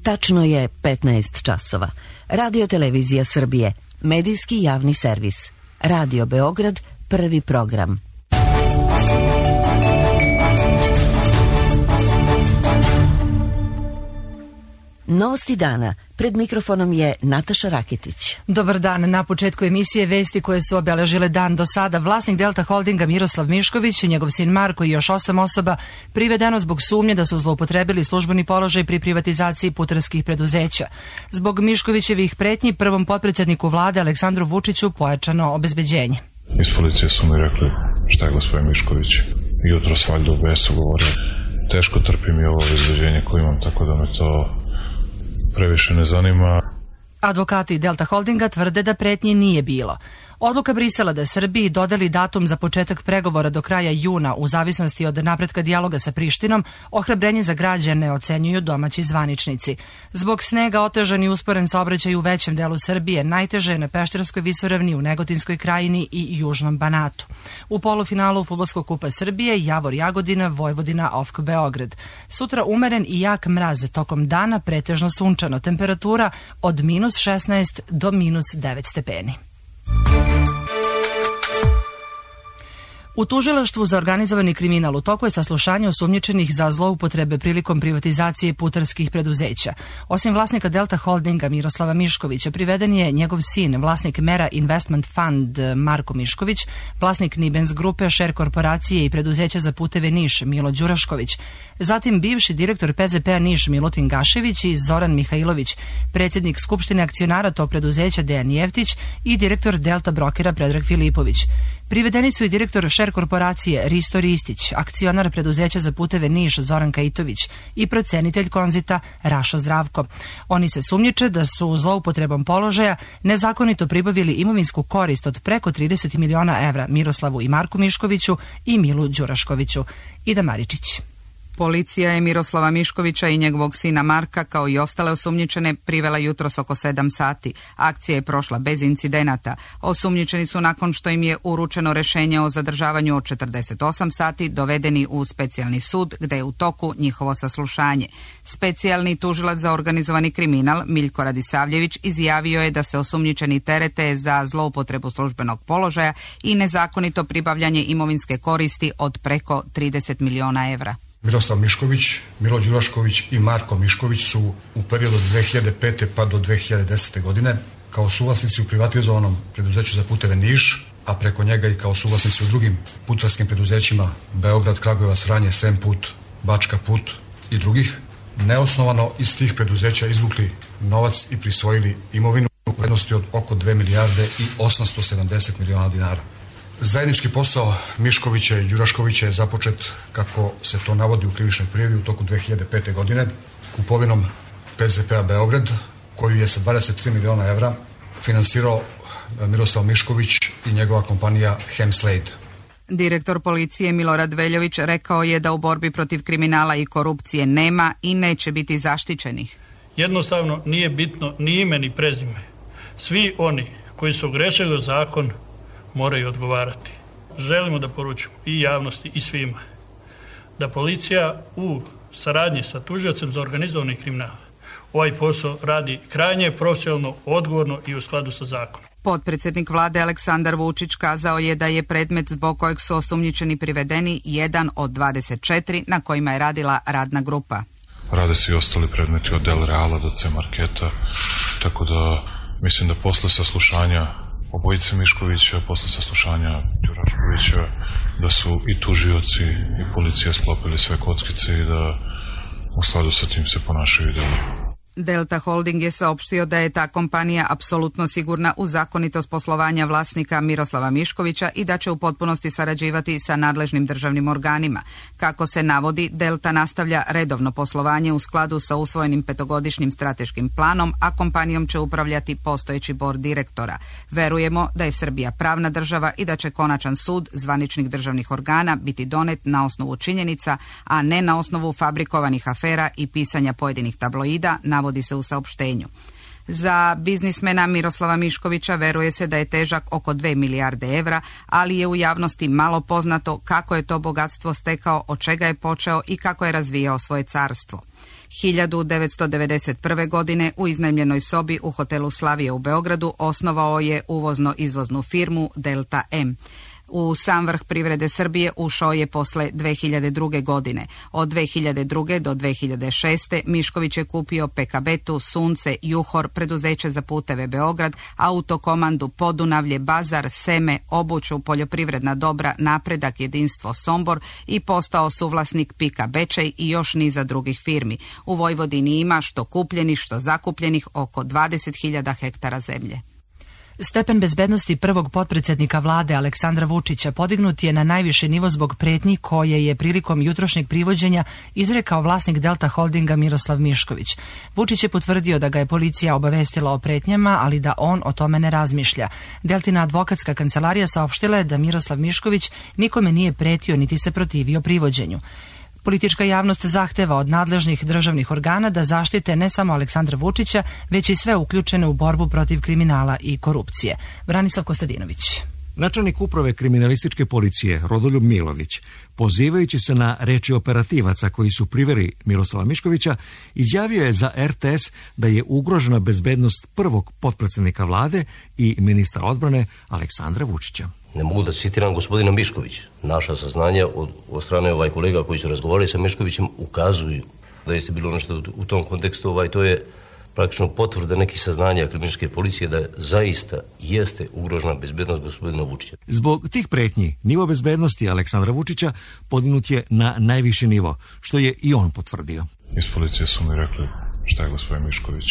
Tačno je 15 časova. Radio Televizija Srbije, medijski javni servis. Radio Beograd, prvi program. Novosti dana. Pred mikrofonom je Nataša Raketić. Dobar dan. Na početku emisije vesti koje su obeležile dan do sada. Vlasnik Delta Holdinga Miroslav Mišković i njegov sin Marko i još 8 osoba privedeno zbog sumnje da su zloupotrebili službeni položaj pri privatizaciji putarskih preduzeća. Zbog Miškovićevih pretnji prvom potpredsjedniku vlade Aleksandru Vučiću pojačano obezbeđenje. Iz policije su mi rekli šta je gospodin Mišković. Jutros valjda u besu govorio. Teško trpim i ovo obezbeđenje koje imam, tako da me to previše ne zanima. Advokati Delta Holdinga tvrde da pretnji nije bilo. Odluka Brisela da Srbiji dodeli datum za početak pregovora do kraja juna u zavisnosti od napretka dijaloga sa Prištinom, ohrabrenje za građane ocenjuju domaći zvaničnici. Zbog snega otežan i usporen saobraćaj u većem delu Srbije, najteže je na Pešterskoj visoravni, u Negotinskoj krajini i Južnom Banatu. U polufinalu Fudbalskog kupa Srbije Javor Jagodina, Vojvodina OFK Beograd. Sutra umeren i jak mraz, tokom dana pretežno sunčano, temperatura od -16 do -9 stepeni. U tužilaštvu za organizovani kriminal u toku je saslušanje osumnjičenih za zloupotrebe prilikom privatizacije putarskih preduzeća. Osim vlasnika Delta Holdinga Miroslava Miškovića, priveden je njegov sin, vlasnik Mera Investment Fund Marko Mišković, vlasnik Nibens grupe, Šer korporacije i preduzeća za puteve Niš Milo Đurašković, zatim bivši direktor PZP-a Niš Milutin Gašević i Zoran Mihajlović, predsjednik Skupštine akcionara tog preduzeća Dejan Jeftić i direktor Delta Brokera Predrag Filipović. Privedeni su i direktor Šer korporacije Risto Ristić, akcionar preduzeća za puteve Niš Zoran Kajitović i procenitelj Konzita Rašo Zdravko. Oni se sumnjiče da su zloupotrebom položaja nezakonito pribavili imovinsku korist od preko 30 miliona evra Miroslavu i Marku Miškoviću i Milu Đuraškoviću. Ida Maričić. Policija je Miroslava Miškovića i njegovog sina Marka, kao i ostale osumnjičene, privela jutros oko 7 sati. Akcija je prošla bez incidenata. Osumnjičeni su, nakon što im je uručeno rešenje o zadržavanju od 48 sati, dovedeni u specijalni sud, gde je u toku njihovo saslušanje. Specijalni tužilac za organizovani kriminal Miljko Radisavljević izjavio je da se osumnjičeni terete za zloupotrebu službenog položaja i nezakonito pribavljanje imovinske koristi od preko 30 miliona evra. Miroslav Mišković, Milo Đurašković i Marko Mišković su u periodu od 2005. pa do 2010. godine kao suvlasnici u privatizovanom preduzeću za puteve Niš, a preko njega i kao suvlasnici u drugim putarskim preduzećima Beograd, Kragujevac, Vranje, Srem put, Bačka put i drugih, neosnovano iz tih preduzeća izvukli novac i prisvojili imovinu u vrednosti od oko 2 milijarde i 870 miliona dinara. Zajednički posao Miškovića i Đuraškovića je započet, kako se to navodi u krivičnoj prijavi, u toku 2005. godine kupovinom PZP-a Beograd, koju je sa 23 miliona evra finansirao Miroslav Mišković i njegova kompanija Hemslade. Direktor policije Milorad Veljović rekao je da u borbi protiv kriminala i korupcije nema i neće biti zaštićenih. Jednostavno nije bitno ni ime ni prezime. Svi oni koji su ogrešili o zakon moraju odgovarati. Želimo da poručimo i javnosti i svima da policija u saradnji sa tužiocem za organizovani kriminal ovaj posao radi krajnje profesionalno, odgovorno i u skladu sa zakonom. Potpredsjednik vlade Aleksandar Vučić kazao je da je predmet zbog kojeg su osumnjičeni privedeni jedan od 24 na kojima je radila radna grupa. Rade se i ostali predmeti od Del Reala do C Marketa, tako da mislim da posle saslušanja obojice Miškovića, posle saslušanja Đuraškovića, da su i tužioci i policija sklopili sve kockice i da u skladu sa tim se ponašaju i dalje. Delta Holding je saopštio da je ta kompanija apsolutno sigurna u zakonitost poslovanja vlasnika Miroslava Miškovića i da će u potpunosti sarađivati sa nadležnim državnim organima. Kako se navodi, Delta nastavlja redovno poslovanje u skladu sa usvojenim 5-godišnjim strateškim planom, a kompanijom će upravljati postojeći bord direktora. Verujemo da je Srbija pravna država i da će konačan sud zvaničnih državnih organa biti donet na osnovu činjenica, a ne na osnovu fabrikovanih afera i pisanja pojedinih tabloida, navodi se u saopštenju. Za biznismena Miroslava Miškovića veruje se da je težak oko 2 milijarde evra, ali je u javnosti malo poznato kako je to bogatstvo stekao, od čega je počeo i kako je razvijao svoje carstvo. 1991. godine u iznajmljenoj sobi u hotelu Slavija u Beogradu osnovao je uvozno-izvoznu firmu Delta M. U sam vrh privrede Srbije ušao je posle 2002. godine. Od 2002. do 2006. Mišković je kupio Pekabetu, Sunce, Juhor, preduzeće za puteve Beograd, Autokomandu, Podunavlje, Bazar, Seme, Obuću, poljoprivredna dobra, Napredak, Jedinstvo, Sombor i postao suvlasnik Pika Bečej i još niza drugih firmi. U Vojvodini ima što kupljenih, što zakupljenih oko 20.000 hektara zemlje. Stepen bezbednosti prvog potpredsjednika vlade Aleksandra Vučića podignut je na najviši nivo zbog pretnji koje je prilikom jutrošnjeg privođenja izrekao vlasnik Delta Holdinga Miroslav Mišković. Vučić je potvrdio da ga je policija obavestila o pretnjama, ali da on o tome ne razmišlja. Deltina advokatska kancelarija saopštila je da Miroslav Mišković nikome nije pretio niti se protivio privođenju. Politička javnost zahteva od nadležnih državnih organa da zaštite ne samo Aleksandra Vučića, već i sve uključene u borbu protiv kriminala i korupcije. Branislav Kostadinović. Načelnik uprave kriminalističke policije Rodoljub Milović, pozivajući se na reči operativaca koji su priveli Miroslava Miškovića, izjavio je za RTS da je ugrožena bezbednost prvog potpredsjednika vlade i ministra odbrane Aleksandra Vučića. Ne mogu da citiram gospodina Miškovića. Naša saznanja od strane kolega koji su razgovarali sa Miškovićem ukazuju da jeste bilo nešto u tom kontekstu, to je praktično potvrda nekih saznanja kriminalističke policije da zaista jeste ugrožena bezbednost gospodina Vučića. Zbog tih pretnji, nivo bezbednosti Aleksandra Vučića podignut je na najviši nivo, što je i on potvrdio. Iz policije su mi rekli šta je gospodin Mišković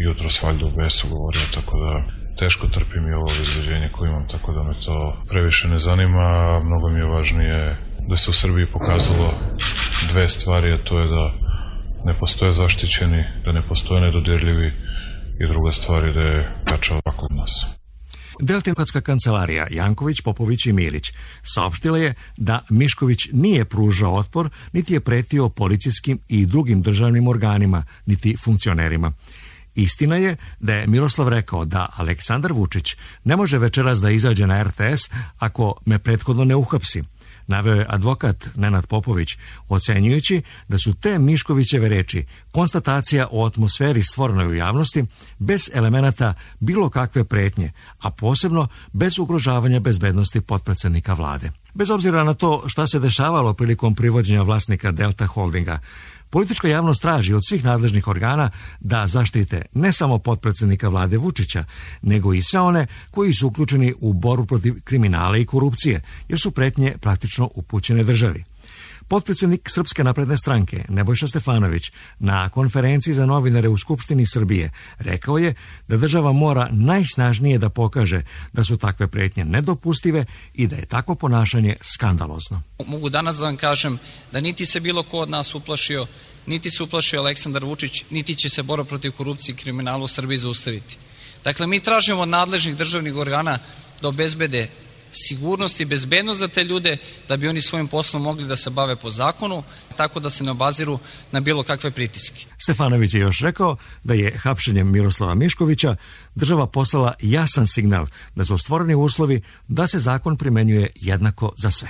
jutros valjda u besu govorio, tako da teško trpim i ovo izveđenje koje imam, tako da me to previše ne zanima. Mnogo mi je važnije da se u Srbiji pokazalo dve stvari, a to je da ne postoje zaštićeni, da ne postoje nedodirljivi i druga stvar je da je kačao ovako od nas. Deltinatska kancelarija Janković, Popović i Milić saopštila je da Mišković nije pružao otpor, niti je pretio policijskim i drugim državnim organima, niti funkcionerima. Istina je da je Miroslav rekao da Aleksandar Vučić ne može večeras da izađe na RTS ako me prethodno ne uhapsi. Naveo je advokat Nenad Popović, ocenjujući da su te Miškovićeve reči konstatacija o atmosferi stvorenoj u javnosti bez elemenata bilo kakve pretnje, a posebno bez ugrožavanja bezbednosti potpredsjednika vlade. Bez obzira na to šta se dešavalo prilikom privođenja vlasnika Delta Holdinga, politička javnost traži od svih nadležnih organa da zaštite ne samo potpredsjednika vlade Vučića, nego i sve one koji su uključeni u borbu protiv kriminala i korupcije, jer su pretnje praktično upućene državi. Potpredsjednik Srpske napredne stranke Nebojša Stefanović na konferenciji za novinare u Skupštini Srbije rekao je da država mora najsnažnije da pokaže da su takve pretnje nedopustive i da je takvo ponašanje skandalozno. Mogu danas da vam kažem da niti se bilo ko od nas uplašio, niti se uplašio Aleksandar Vučić, niti će se borba protiv korupcije i kriminala u Srbiji zaustaviti. Dakle, mi tražimo od nadležnih državnih organa da obezbede sigurnost i bezbednost za te ljude, da bi oni svojim poslom mogli da se bave po zakonu, tako da se ne obaziru na bilo kakve pritiske. Stefanović je još rekao da je hapšenjem Miroslava Miškovića država poslala jasan signal da su stvoreni uslovi da se zakon primenjuje jednako za sve.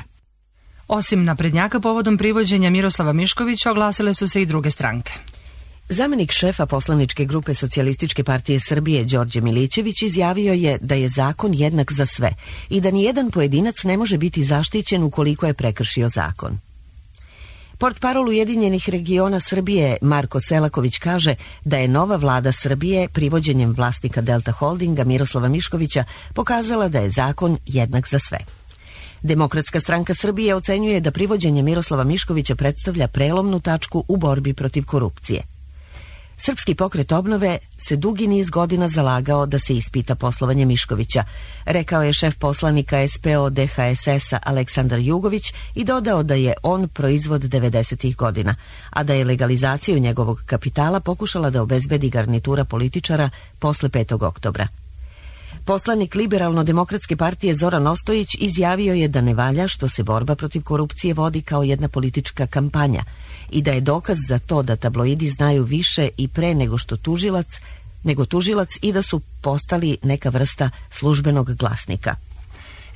Osim naprednjaka povodom privođenja Miroslava Miškovića oglasile su se i druge stranke. Zamenik šefa poslaničke grupe Socijalističke partije Srbije Đorđe Milićević izjavio je da je zakon jednak za sve i da nijedan pojedinac ne može biti zaštićen ukoliko je prekršio zakon. Portparol Ujedinjenih regiona Srbije Marko Selaković kaže da je nova vlada Srbije privođenjem vlasnika Delta Holdinga Miroslava Miškovića pokazala da je zakon jednak za sve. Demokratska stranka Srbije ocenjuje da privođenje Miroslava Miškovića predstavlja prelomnu tačku u borbi protiv korupcije. Srpski pokret obnove se dugi niz godina zalagao da se ispita poslovanje Miškovića, rekao je šef poslanika SPO DHSS-a Aleksandar Jugović i dodao da je on proizvod 90-ih godina, a da je legalizaciju njegovog kapitala pokušala da obezbedi garnitura političara posle 5. oktobra. Poslanik Liberalno-demokratske partije Zoran Ostojić izjavio je da ne valja što se borba protiv korupcije vodi kao jedna politička kampanja i da je dokaz za to da tabloidi znaju više i pre nego tužilac i da su postali neka vrsta službenog glasnika.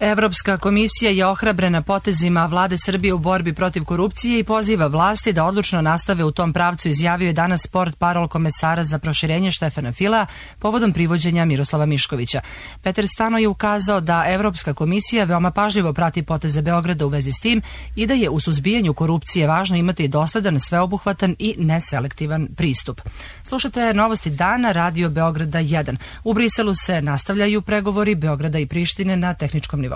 Evropska komisija je ohrabrena potezima vlade Srbije u borbi protiv korupcije i poziva vlasti da odlučno nastave u tom pravcu, izjavio je danas portparol komesara za proširenje Štefana Filea povodom privođenja Miroslava Miškovića. Peter Stano je ukazao da Evropska komisija veoma pažljivo prati poteze Beograda u vezi s tim i da je u suzbijanju korupcije važno imati dosledan, sveobuhvatan i neselektivan pristup. Slušate novosti dana, Radio Beograda 1. U Briselu se nastavljaju pregovori Beograda i Prištine na tehničkom nivou.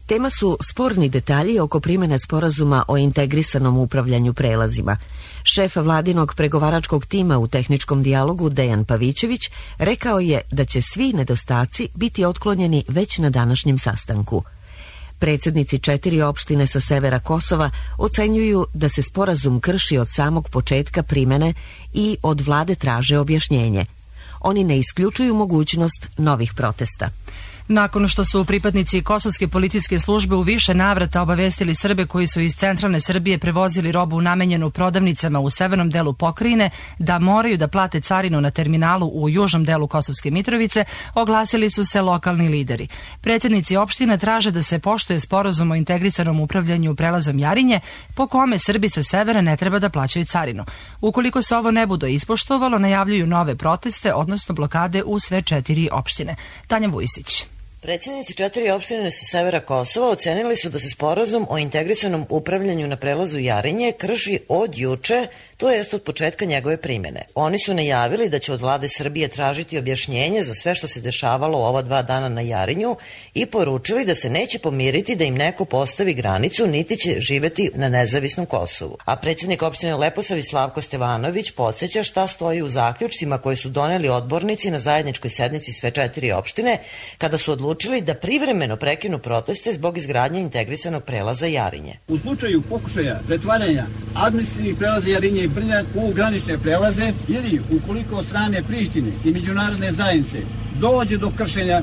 Tema su sporni detalji oko primjene sporazuma o integrisanom upravljanju prelazima. Šef vladinog pregovaračkog tima u tehničkom dijalogu Dejan Pavićević rekao je da će svi nedostaci biti otklonjeni već na današnjem sastanku. Predsjednici 4 opštine sa severa Kosova ocenjuju da se sporazum krši od samog početka primjene i od vlade traže objašnjenje. Oni ne isključuju mogućnost novih protesta. Nakon što su pripadnici kosovske policijske službe u više navrata obavestili Srbe koji su iz centralne Srbije prevozili robu namenjenu prodavnicama u severnom delu pokrajine da moraju da plate carinu na terminalu u južnom delu Kosovske Mitrovice, oglasili su se lokalni lideri. Predsjednici opština traže da se poštuje sporazum o integrisanom upravljanju prelazom Jarinje, po kome Srbi sa severa ne treba da plaćaju carinu. Ukoliko se ovo ne bude ispoštovalo, najavljuju nove proteste, odnosno blokade u sve 4 opštine. Tanja Vujisić. Predsjednici 4 opštine sa severa Kosova ocenili su da se sporazum o integrisanom upravljanju na prelazu Jarinje krši od juče, to jest od početka njegove primjene. Oni su najavili da će od vlade Srbije tražiti objašnjenje za sve što se dešavalo ova 2 dana na Jarinju i poručili da se neće pomiriti da im neko postavi granicu, niti će živeti na nezavisnom Kosovu. A predsjednik opštine Leposavić Slavko Stevanović podsjeća šta stoji u zaključcima koje su doneli odbornici na zajedničkoj sednici sve 4 opštine kada su odlučili da privremeno prekinu proteste zbog izgradnje integrisanog prelaza Jarinje. U slučaju pokušaja pretvaranja administrativnih prelaza Jarinje i Brnjak u granične prelaze ili ukoliko od strane Prištine i međunarodne zajednice dođe do kršenja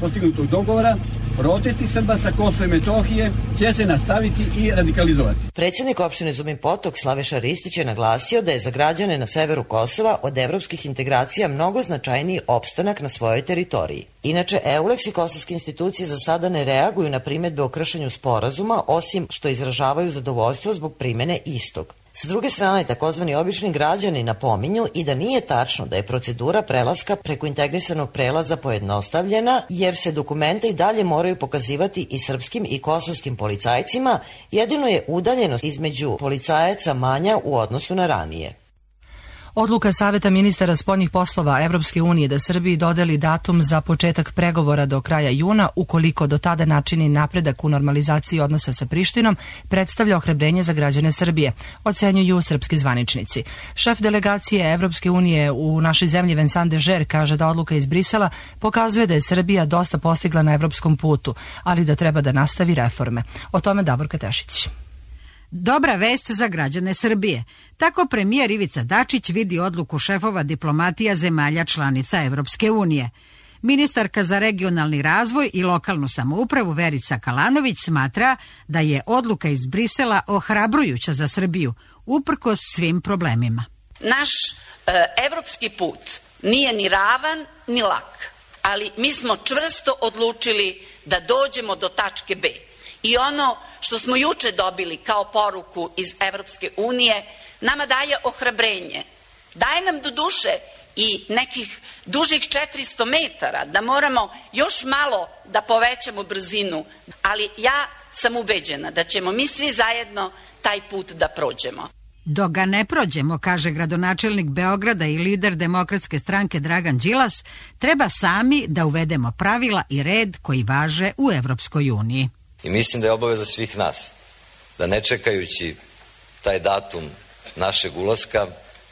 postignutog dogovora, protesti Srba sa Kosova i Metohije će se nastaviti i radikalizovati. Predsjednik opštine Zubin Potok Slaviša Ristić je naglasio da je za građane na severu Kosova od evropskih integracija mnogo značajniji opstanak na svojoj teritoriji. Inače, EULEX i kosovske institucije za sada ne reaguju na primjedbe o kršenju sporazuma, osim što izražavaju zadovoljstvo zbog primjene istog. Sa druge strane, takozvani obični građani napominju i da nije tačno da je procedura prelaska preko integrisanog prelaza pojednostavljena, jer se dokumenta i dalje moraju pokazivati i srpskim i kosovskim policajcima, jedino je udaljenost između policajaca manja u odnosu na ranije. Odluka Saveta ministara spoljnih poslova Evropske unije da Srbiji dodeli datum za početak pregovora do kraja juna, ukoliko do tada načini napredak u normalizaciji odnosa sa Prištinom, predstavlja ohrabrenje za građane Srbije, ocenjuju srpski zvaničnici. Šef delegacije Evropske unije u našoj zemlji Vincent Dežer kaže da odluka iz Brisela pokazuje da je Srbija dosta postigla na evropskom putu, ali da treba da nastavi reforme. O tome Davorka Tešić. Dobra vest za građane Srbije. Tako premijer Ivica Dačić vidi odluku šefova diplomatija zemalja članica Evropske unije. Ministarka za regionalni razvoj i lokalnu samoupravu Verica Kalanović smatra da je odluka iz Brisela ohrabrujuća za Srbiju, uprkos svim problemima. Naš evropski put nije ni ravan ni lak, ali mi smo čvrsto odlučili da dođemo do tačke B. I ono što smo juče dobili kao poruku iz Evropske unije nama daje ohrabrenje. Daje nam do duše i nekih dužih 400 metara da moramo još malo da povećamo brzinu, ali ja sam ubeđena da ćemo mi svi zajedno taj put da prođemo. Dok ga ne prođemo, kaže gradonačelnik Beograda i lider Demokratske stranke Dragan Đilas, treba sami da uvedemo pravila i red koji važe u Evropskoj uniji. I mislim da je obaveza svih nas da ne čekajući taj datum našeg ulaska,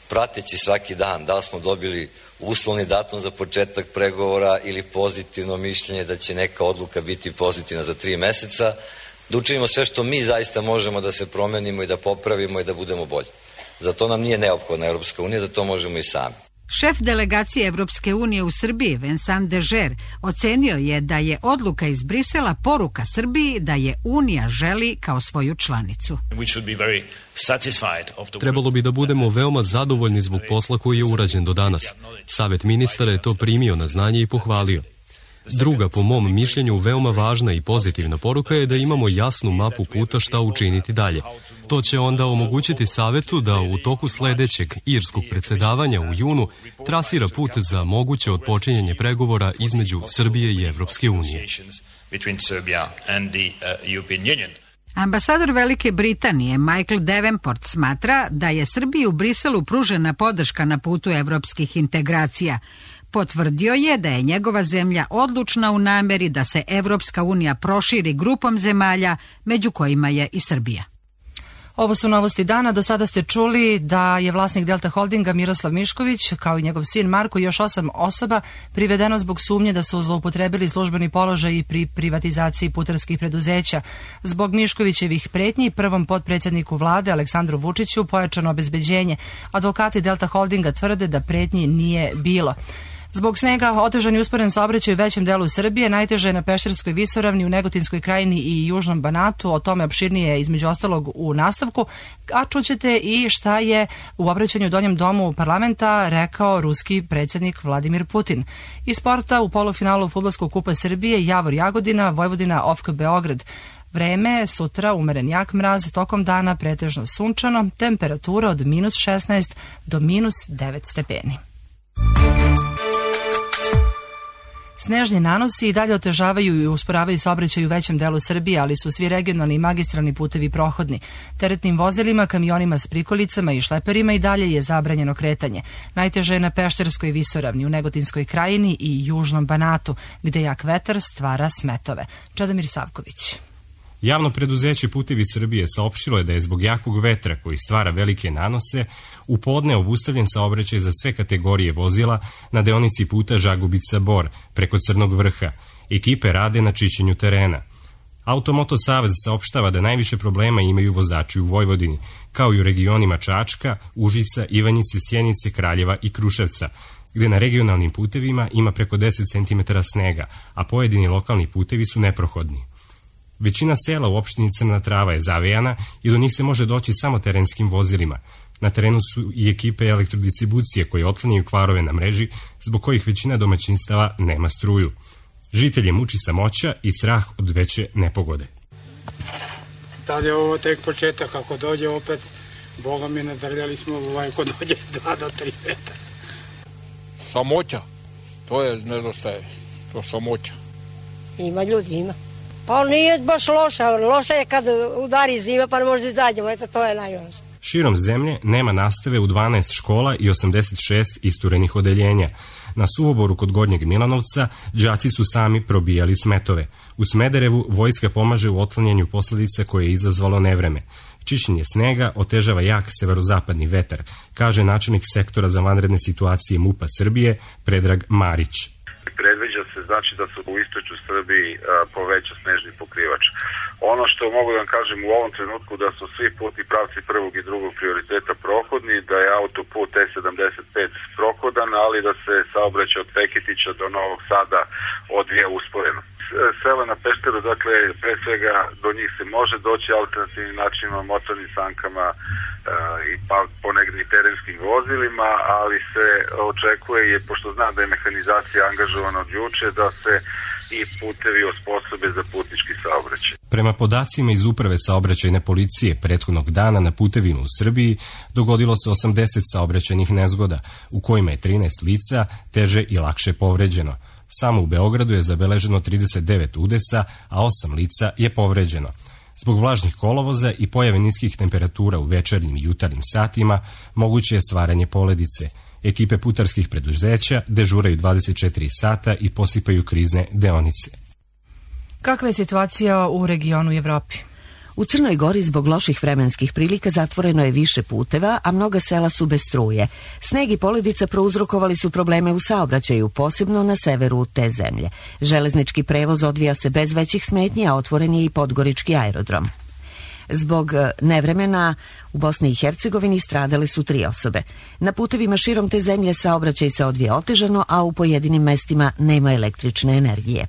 prateći svaki dan da li smo dobili uslovni datum za početak pregovora ili pozitivno mišljenje da će neka odluka biti pozitivna za 3 meseca, da učinimo sve što mi zaista možemo da se promenimo i da popravimo i da budemo bolji. Za to nam nije neophodna Evropska unija, za to možemo i sami. Šef delegacije Evropske unije u Srbiji, Vincent Dežer, ocenio je da je odluka iz Brisela poruka Srbiji da je Unija želi kao svoju članicu. Trebalo bi da budemo veoma zadovoljni zbog posla koji je urađen do danas. Savet ministara je to primio na znanje i pohvalio. Druga, po mom mišljenju, veoma važna i pozitivna poruka je da imamo jasnu mapu puta šta učiniti dalje. To će onda omogućiti Savetu da u toku sledećeg irskog predsedavanja u junu trasira put za moguće otpočinjanje pregovora između Srbije i Evropske unije. Ambasador Velike Britanije Michael Davenport smatra da je Srbiji u Briselu pružena podrška na putu evropskih integracija. Potvrdio je da je njegova zemlja odlučna u nameri da se Evropska unija proširi grupom zemalja, među kojima je i Srbija. Ovo su novosti dana. Do sada ste čuli da je vlasnik Delta Holdinga Miroslav Mišković, kao i njegov sin Marko i još 8 osoba privedeno zbog sumnje da su zloupotrebili službeni položaj pri privatizaciji putarskih preduzeća. Zbog Miškovićevih pretnji prvom potpredsjedniku vlade Aleksandru Vučiću pojačano obezbeđenje. Advokati Delta Holdinga tvrde da pretnji nije bilo. Zbog snega otežan i usporen saobraćaj u većem delu Srbije, najteže je na Pešterskoj visoravni, u Negotinskoj krajini i Južnom Banatu, o tome opširnije između ostalog u nastavku, a čućete i šta je u obraćanju u Donjem domu parlamenta rekao ruski predsjednik Vladimir Putin. Iz sporta u polufinalu Fudbalskog kupa Srbije Javor Jagodina, Vojvodina OFK Beograd. Vreme sutra umeren jak mraz, tokom dana pretežno sunčano, temperatura od -16 do -9 stepeni. Snežni nanosi i dalje otežavaju i usporavaju saobraćaj u većem delu Srbije, ali su svi regionalni i magistralni putevi prohodni. Teretnim vozilima, kamionima s prikolicama i šleperima i dalje je zabranjeno kretanje. Najteže je na Pešterskoj visoravni, u Negotinskoj krajini i Južnom Banatu, gde jak vetar stvara smetove. Čedomir Savković. Javno preduzeće Putevi Srbije saopštilo je da je zbog jakog vetra koji stvara velike nanose u podne obustavljen saobraćaj za sve kategorije vozila na deonici puta Žagubica-Bor preko Crnog vrha. Ekipe rade na čišćenju terena. Automoto Savez saopštava da najviše problema imaju vozači u Vojvodini, kao i u regionima Čačka, Užica, Ivanjice, Sjenice, Kraljeva i Kruševca, gde na regionalnim putevima ima preko 10 cm snega, a pojedini lokalni putevi su neprohodni. Većina sela u opštini Crna Trava je zavejana i do njih se može doći samo terenskim vozilima. Na terenu su i ekipe elektrodistribucije koje otklanjaju kvarove na mreži, zbog kojih većina domaćinstava nema struju. Žitelje muči samoća i strah od veće nepogode. Da li je ovo tek početak? Ako dođe opet, Boga mi nadrljali smo ako dođe 2 do 3 metra. Samoća, to je, ne znam šta je, to samoća. Ima ljudi, ima. Pa nije baš loša je kad udari zima pa ne može izađemo, eto to je najloše. Širom zemlje nema nastave u 12 škola i 86 isturenih odeljenja. Na Suvoboru kod Gornjeg Milanovca đaci su sami probijali smetove. U Smederevu vojska pomaže u otklanjanju posledica koje je izazvalo nevreme. Čišćenje snega otežava jak severozapadni vetar, kaže načelnik sektora za vanredne situacije MUP-a Srbije Predrag Marić. Predviđa se znači da su u istočnoj Srbiji poveća snežni pokrivač. Ono što mogu da vam kažem u ovom trenutku da su svi putni pravci prvog i drugog prioriteta prohodni, da je autoput E75 prohodan, ali da se saobraćaj od Feketića do Novog Sada odvija usporeno. Sela na Pešteru, dakle, pre svega do njih se može doći alternativnim načinima, motornim sankama i pa ponegdje i terenskim vozilima, ali se očekuje, pošto znam da je mehanizacija angažovana od juče, da se i putevi osposobe za putnički saobraćaj. Prema podacima iz Uprave saobraćajne policije, prethodnog dana na putevima u Srbiji dogodilo se 80 saobraćajnih nezgoda, u kojima je 13 lica teže i lakše povređeno. Samo u Beogradu je zabeleženo 39 udesa, a 8 lica je povređeno. Zbog vlažnih kolovoza i pojave niskih temperatura u večernjim i jutarnjim satima, moguće je stvaranje poledice. Ekipe putarskih preduzeća dežuraju 24 sata i posipaju krizne deonice. Kakva je situacija u regionu i Evropi? U Crnoj Gori zbog loših vremenskih prilika zatvoreno je više puteva, a mnoga sela su bez struje. Sneg i poledica prouzrokovali su probleme u saobraćaju, posebno na severu te zemlje. Železnički prevoz odvija se bez većih smetnji, a otvoren je i Podgorički aerodrom. Zbog nevremena u Bosni i Hercegovini stradale su 3 osobe. Na putevima širom te zemlje saobraćaj se odvija otežano, a u pojedinim mestima nema električne energije.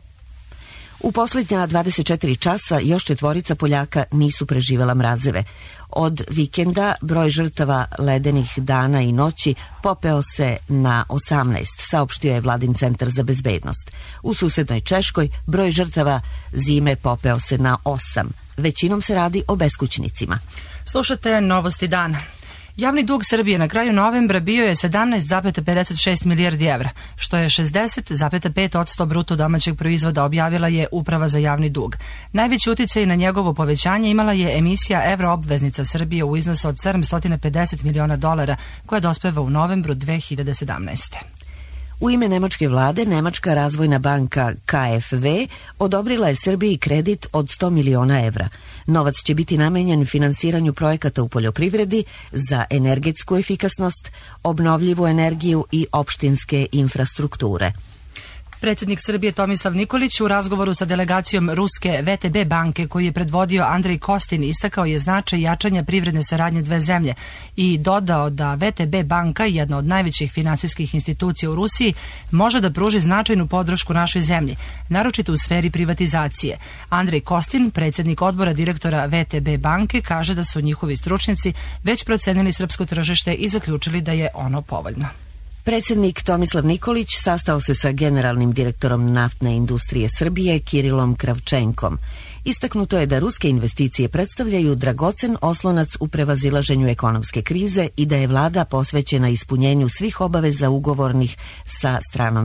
U posljednja 24 časa još 4 Poljaka nisu preživela mrazeve. Od vikenda broj žrtava ledenih dana i noći popeo se na 18, saopštio je Vladin centar za bezbednost. U susednoj Češkoj broj žrtava zime popeo se na 8. Većinom se radi o beskućnicima. Slušate Novosti dana. Javni dug Srbije na kraju novembra bio je 17,56 milijardi evra, što je 60,5% bruto domaćeg proizvoda, objavila je Uprava za javni dug. Najveći uticaj na njegovo povećanje imala je emisija evroobveznica Srbije u iznosu od $750 miliona, koja dospeva u novembru 2017. U ime nemačke vlade, Nemačka razvojna banka KfW odobrila je Srbiji kredit od 100 miliona evra. Novac će biti namenjen finansiranju projekata u poljoprivredi za energetsku efikasnost, obnovljivu energiju i opštinske infrastrukture. Predsjednik Srbije Tomislav Nikolić u razgovoru sa delegacijom ruske VTB banke koju je predvodio Andrej Kostin istakao je značaj jačanja privredne saradnje dve zemlje i dodao da VTB banka, jedna od najvećih finansijskih institucija u Rusiji, može da pruži značajnu podršku našoj zemlji, naročito u sferi privatizacije. Andrej Kostin, predsjednik odbora direktora VTB banke, kaže da su njihovi stručnjaci već procenili srpsko tržište i zaključili da je ono povoljno. Predsjednik Tomislav Nikolić sastao se sa generalnim direktorom naftne industrije Srbije Kirilom Kravčenkom. Istaknuto je da ruske investicije predstavljaju dragocen oslonac u prevazilaženju ekonomske krize i da je vlada posvećena ispunjenju svih obaveza ugovornih sa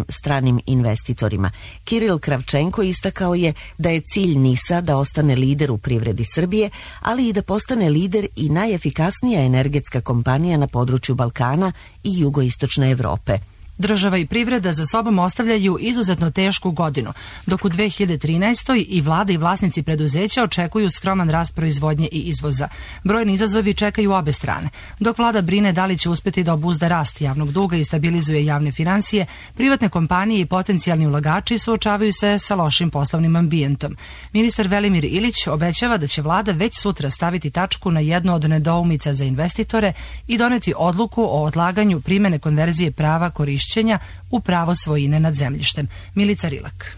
stranim investitorima. Kiril Kravčenko istakao je da je cilj NIS-a da ostane lider u privredi Srbije, ali i da postane lider i najefikasnija energetska kompanija na području Balkana i jugoistočne Evrope. Država i privreda za sobom ostavljaju izuzetno tešku godinu, dok u 2013. i vlada i vlasnici preduzeća očekuju skroman rast proizvodnje i izvoza. Brojni izazovi čekaju obe strane. Dok vlada brine da li će uspjeti da obuzda rast javnog duga i stabilizuje javne finansije, privatne kompanije i potencijalni ulagači suočavaju se sa lošim poslovnim ambijentom. Ministar Velimir Ilić obećava da će vlada već sutra staviti tačku na jednu od nedoumica za investitore i doneti odluku o odlaganju primene konverzije prava korišćenja u pravo svojine nad zemljištem. Milica Rilak.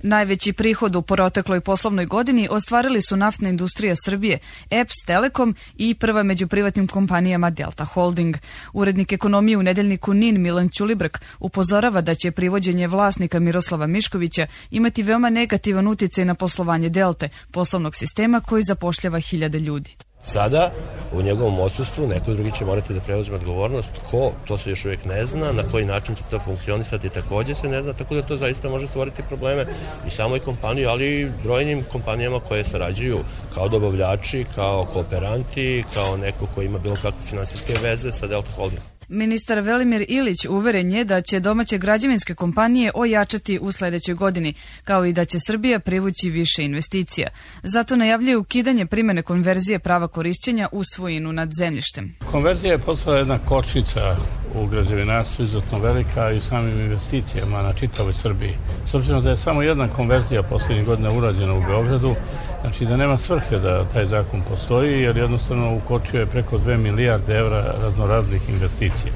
Najveći prihod u protekloj poslovnoj godini ostvarili su naftna industrija Srbije, EPS, Telekom i prva među privatnim kompanijama Delta Holding. Urednik ekonomije u nedeljniku NIN Milan Ćulibrk upozorava da će privođenje vlasnika Miroslava Miškovića imati veoma negativan uticaj na poslovanje Delte, poslovnog sistema koji zapošljava 1000 ljudi. Sada, u njegovom odsustvu, neko drugi će morati da preuzme odgovornost. Ko, to se još uvijek ne zna, na koji način će to funkcionisati također se ne zna, tako da to zaista može stvoriti probleme i samoj kompaniji, ali i brojnim kompanijama koje sarađuju kao dobavljači, kao kooperanti, kao neko ko ima bilo kakve finansijske veze sa Delta Holdingom. Ministar Velimir Ilić uveren je da će domaće građevinske kompanije ojačati u sljedećoj godini, kao i da će Srbija privući više investicija. Zato najavljuje ukidanje primene konverzije prava korišćenja u svojinu nad zemljištem. Konverzija je postala jedna kočnica u građevinarstvu izuzetno velika i samim investicijama na čitavoj Srbiji. S obzirom da je samo jedna konverzija posljednjih godina urađena u Beogradu, znači da nema svrhe da taj zakon postoji, jer jednostavno ukočio je preko 2 milijarde evra raznoraznih investicija.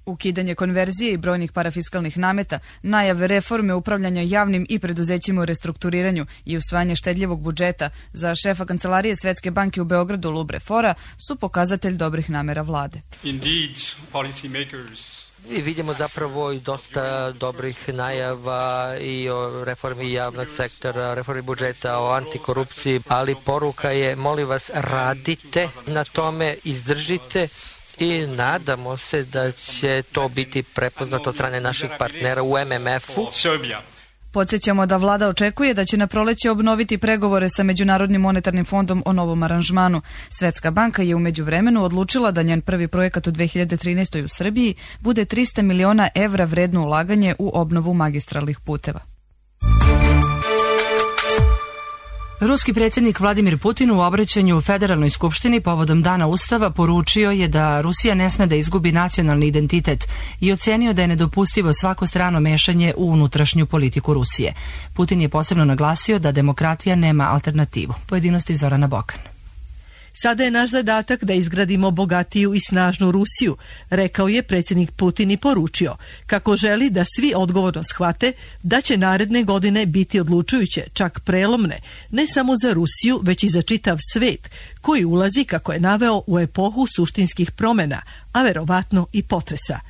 Ukidanje konverzije i brojnih parafiskalnih nameta, najave reforme upravljanja javnim i preduzećima u restrukturiranju i usvajanje štedljivog budžeta za šefa Kancelarije Svetske banke u Beogradu Lubre Fora su pokazatelj dobrih namera vlade. I vidimo zapravo i dosta dobrih najava i o reformi javnog sektora, reformi budžeta, o antikorupciji, ali poruka je, molim vas, radite na tome, izdržite i nadamo se da će to biti prepoznato od strane naših partnera u MMF-u. Podsjećamo da vlada očekuje da će na proleće obnoviti pregovore sa Međunarodnim monetarnim fondom o novom aranžmanu. Svetska banka je u međuvremenu odlučila da njen prvi projekat u 2013. u Srbiji bude 300 miliona evra vredno ulaganje u obnovu magistralnih puteva. Ruski predsjednik Vladimir Putin u obraćanju u Federalnoj skupštini povodom Dana Ustava poručio je da Rusija ne sme da izgubi nacionalni identitet i ocenio da je nedopustivo svako strano mešanje u unutrašnju politiku Rusije. Putin je posebno naglasio da demokratija nema alternativu. Pojedinosti Zorana Bokan. Sada je naš zadatak da izgradimo bogatiju i snažnu Rusiju, rekao je predsjednik Putin i poručio kako želi da svi odgovorno shvate da će naredne godine biti odlučujuće, čak prelomne, ne samo za Rusiju, već i za čitav svet, koji ulazi, kako je naveo, u epohu suštinskih promjena, a verovatno i potresa.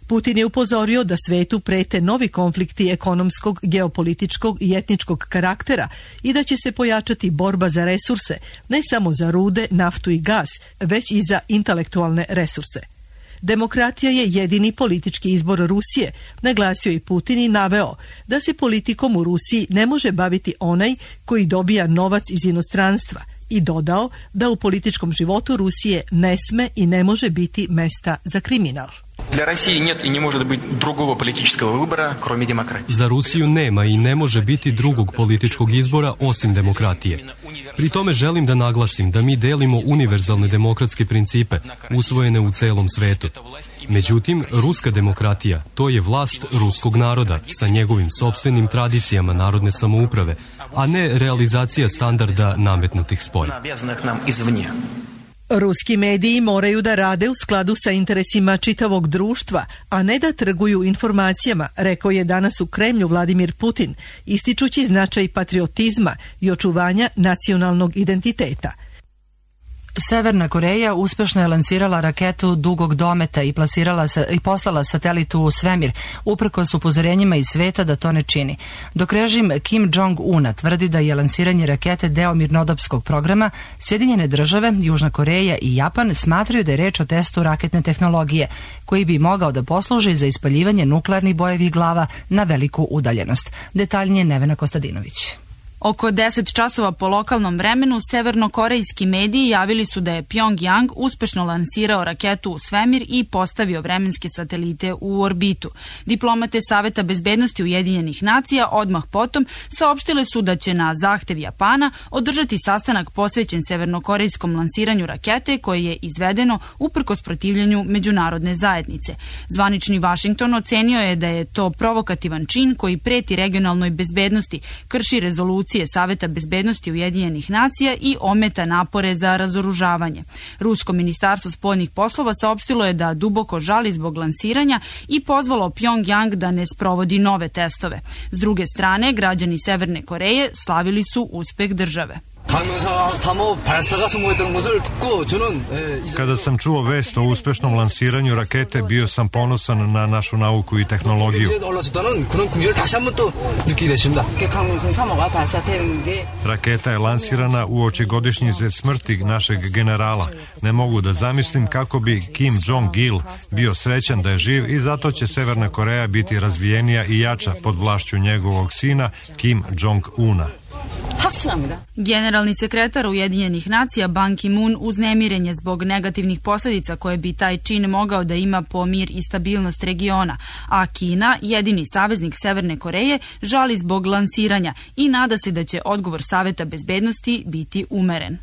Putin je upozorio da svetu prete novi konflikti ekonomskog, geopolitičkog i etničkog karaktera i da će se pojačati borba za resurse, ne samo za rude, naftu i gas, već i za intelektualne resurse. Demokratija je jedini politički izbor Rusije, naglasio i Putin i naveo da se politikom u Rusiji ne može baviti onaj koji dobija novac iz inostranstva i dodao da u političkom životu Rusije ne sme i ne može biti mesta za kriminal. Za Rusiju nema i ne može biti drugog političkog izbora osim demokratije. Pri tome želim da naglasim da mi delimo univerzalne demokratske principe usvojene u celom svetu. Međutim, ruska demokratija, to je vlast ruskog naroda sa njegovim sopstvenim tradicijama narodne samouprave, a ne realizacija standarda nametnutih spolja. Ruski mediji moraju da rade u skladu sa interesima čitavog društva, a ne da trguju informacijama, rekao je danas u Kremlju Vladimir Putin, ističući značaj patriotizma i očuvanja nacionalnog identiteta. Severna Koreja uspešno je lansirala raketu dugog dometa i poslala satelitu u svemir, uprkos upozorenjima iz sveta da to ne čini. Dok režim Kim Jong-una tvrdi da je lansiranje rakete deo mirnodopskog programa, Sjedinjene države, Južna Koreja i Japan smatraju da je reč o testu raketne tehnologije, koji bi mogao da posluži za ispaljivanje nuklearnih bojevih glava na veliku udaljenost. Detaljnije Nevena Kostadinović. Oko 10 časova po lokalnom vremenu severnokorejski mediji javili su da je Pyongyang uspešno lansirao raketu u svemir i postavio vremenske satelite u orbitu. Diplomate Saveta bezbednosti Ujedinjenih nacija odmah potom saopštile su da će na zahtev Japana održati sastanak posvećen severnokorejskom lansiranju rakete koje je izvedeno uprkos protivljenju međunarodne zajednice. Zvanični Vašington ocenio je da je to provokativan čin koji preti regionalnoj bezbednosti, krši rezoluciju Saveta bezbednosti Ujedinjenih nacija i ometa napore za razoružavanje. Rusko ministarstvo spoljnih poslova saopštilo je da duboko žali zbog lansiranja i pozvalo Pyongyang da ne sprovodi nove testove. S druge strane, građani Severne Koreje slavili su uspeh države. Kada sam čuo vest o uspešnom lansiranju rakete, bio sam ponosan na našu nauku i tehnologiju. Raketa je lansirana uoči godišnjice smrti našeg generala. Ne mogu da zamislim kako bi Kim Jong-il bio srećan da je živ i zato će Severna Koreja biti razvijenija i jača pod vlašću njegovog sina Kim Jong-una. Generalni sekretar Ujedinjenih nacija Ban Ki-moon uznemiren je zbog negativnih posljedica koje bi taj čin mogao da ima po mir i stabilnost regiona, a Kina, jedini saveznik Severne Koreje, žali zbog lansiranja i nada se da će odgovor Saveta bezbednosti biti umeren.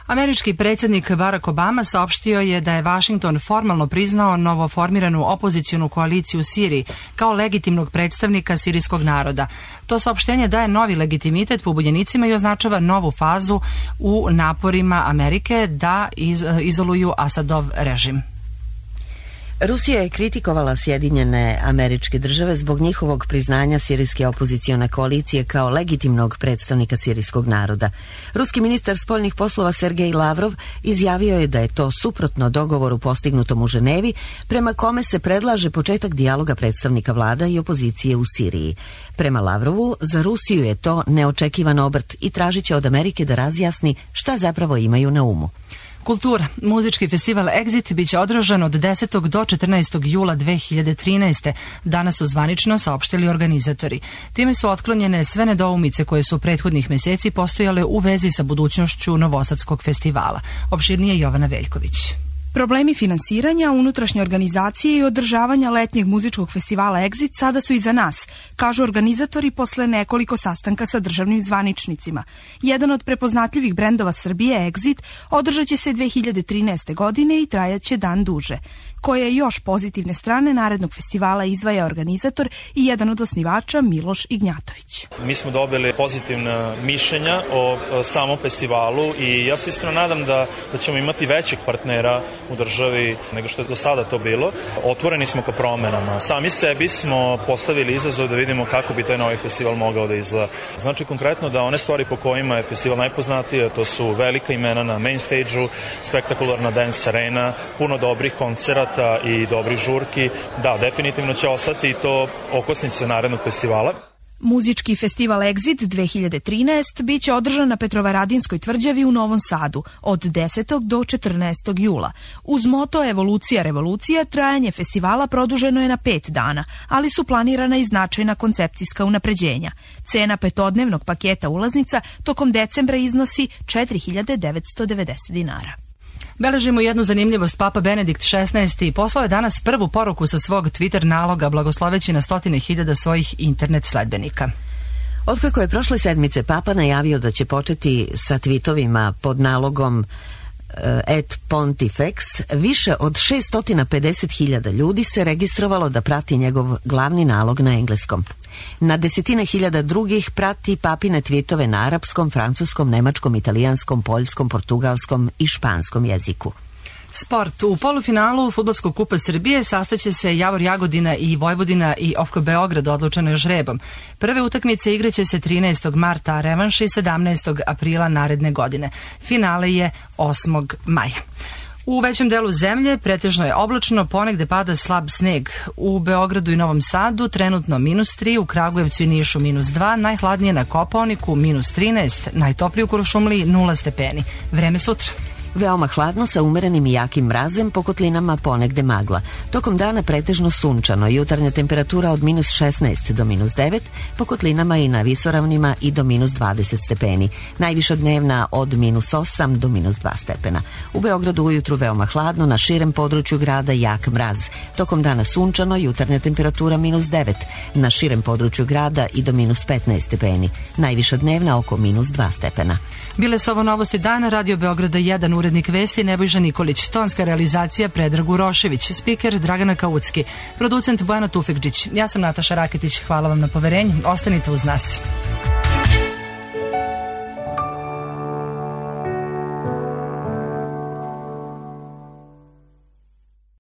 Američki predsjednik Barack Obama saopštio je da je Vašington formalno priznao novoformiranu opozicionu koaliciju u Siriji kao legitimnog predstavnika sirijskog naroda. To saopštenje daje novi legitimitet pobunjenicima i označava novu fazu u naporima Amerike da izoluju Asadov režim. Rusija je kritikovala Sjedinjene Američke Države zbog njihovog priznanja sirijske opozicione koalicije kao legitimnog predstavnika sirijskog naroda. Ruski ministar spoljnih poslova Sergej Lavrov izjavio je da je to suprotno dogovoru postignutom u Ženevi, prema kome se predlaže početak dijaloga predstavnika vlada i opozicije u Siriji. Prema Lavrovu, za Rusiju je to neočekivan obrt i tražit će od Amerike da razjasni šta zapravo imaju na umu. Kultura. Muzički festival Exit biće održan od 10. do 14. jula 2013. Danas su zvanično saopštili organizatori. Time su otklonjene sve nedoumice koje su prethodnih mjeseci postojale u vezi sa budućnošću Novosadskog festivala. Opširnije Jovana Veljković. Problemi finansiranja, unutrašnje organizacije i održavanja letnjeg muzičkog festivala Exit sada su iza nas, kažu organizatori posle nekoliko sastanka sa državnim zvaničnicima. Jedan od prepoznatljivih brendova Srbije, Exit, održat će se 2013. godine i trajaće dan duže. Koje još pozitivne strane narednog festivala izdvaja organizator i jedan od osnivača Miloš Ignjatović. Mi smo dobili pozitivna mišljenja o samom festivalu i ja se iskreno nadam da ćemo imati većih partnera u državi nego što je do sada to bilo. Otvoreni smo ka promenama. Sami sebi smo postavili izazov da vidimo kako bi taj novi festival mogao da izgleda. Znači konkretno da one stvari po kojima je festival najpoznatiji, to su velika imena na main stage-u, spektakularna dance arena, puno dobrih koncerata i dobrih žurki, da, definitivno će ostati i to okosnice narednog festivala. Muzički festival Exit 2013 biće održan na Petrovaradinskoj tvrđavi u Novom Sadu od 10. do 14. jula. Uz moto Evolucija, revolucija, trajanje festivala produženo je na 5 dana, ali su planirana i značajna koncepcijska unapređenja. Cena petodnevnog paketa ulaznica tokom decembra iznosi 4.990 dinara. Beležimo jednu zanimljivost. Papa Benedikt XVI poslao je danas prvu poruku sa svog Twitter naloga, blagosloveći na 100.000 svojih internet sledbenika. Otkako je prošle sedmice Papa najavio da će početi sa tweetovima pod nalogom et Pontifex, više od 650.000 ljudi se registrovalo da prati njegov glavni nalog na engleskom. Na desetine hiljada drugih prati papine tweetove na arapskom, francuskom, nemačkom, italijanskom, poljskom, portugalskom i španskom jeziku. Sport. U polufinalu Fudbalskog kupa Srbije sastaće se Javor Jagodina i Vojvodina i OFK Beograd, odlučeno je žrebom. Prve utakmice igraće se 13. marta, a revanši 17. aprila naredne godine. Finale je 8. maja. U većem delu zemlje pretežno je oblačno, ponegde pada slab sneg. U Beogradu i Novom Sadu trenutno -3, u Kragujevcu i Nišu -2, najhladnije na Kopaoniku -13, najtoplije u Kuršumliji 0 stepeni. Vreme sutra. Veoma hladno sa umerenim i jakim mrazem, po kotlinama ponegde magla. Tokom dana pretežno sunčano, jutarnja temperatura od -16 do -9, po kotlinama i na visoravnima i do -20 stepeni. Najviša dnevna od -8 do -2 stepena. U Beogradu ujutru veoma hladno, na širem području grada jak mraz. Tokom dana sunčano, jutarnja temperatura -9, na širem području grada i do -15 stepeni. Najviša dnevna oko -2 stepena. Bile su ovo novosti dana, Radio Beograda 1, urednik vesti Nebojša Nikolić, tonska realizacija Predrag Urošević, spiker Dragana Kaucki, producent Bojana Tufekđić. Ja sam Nataša Raketić, hvala vam na poverenju, ostanite uz nas.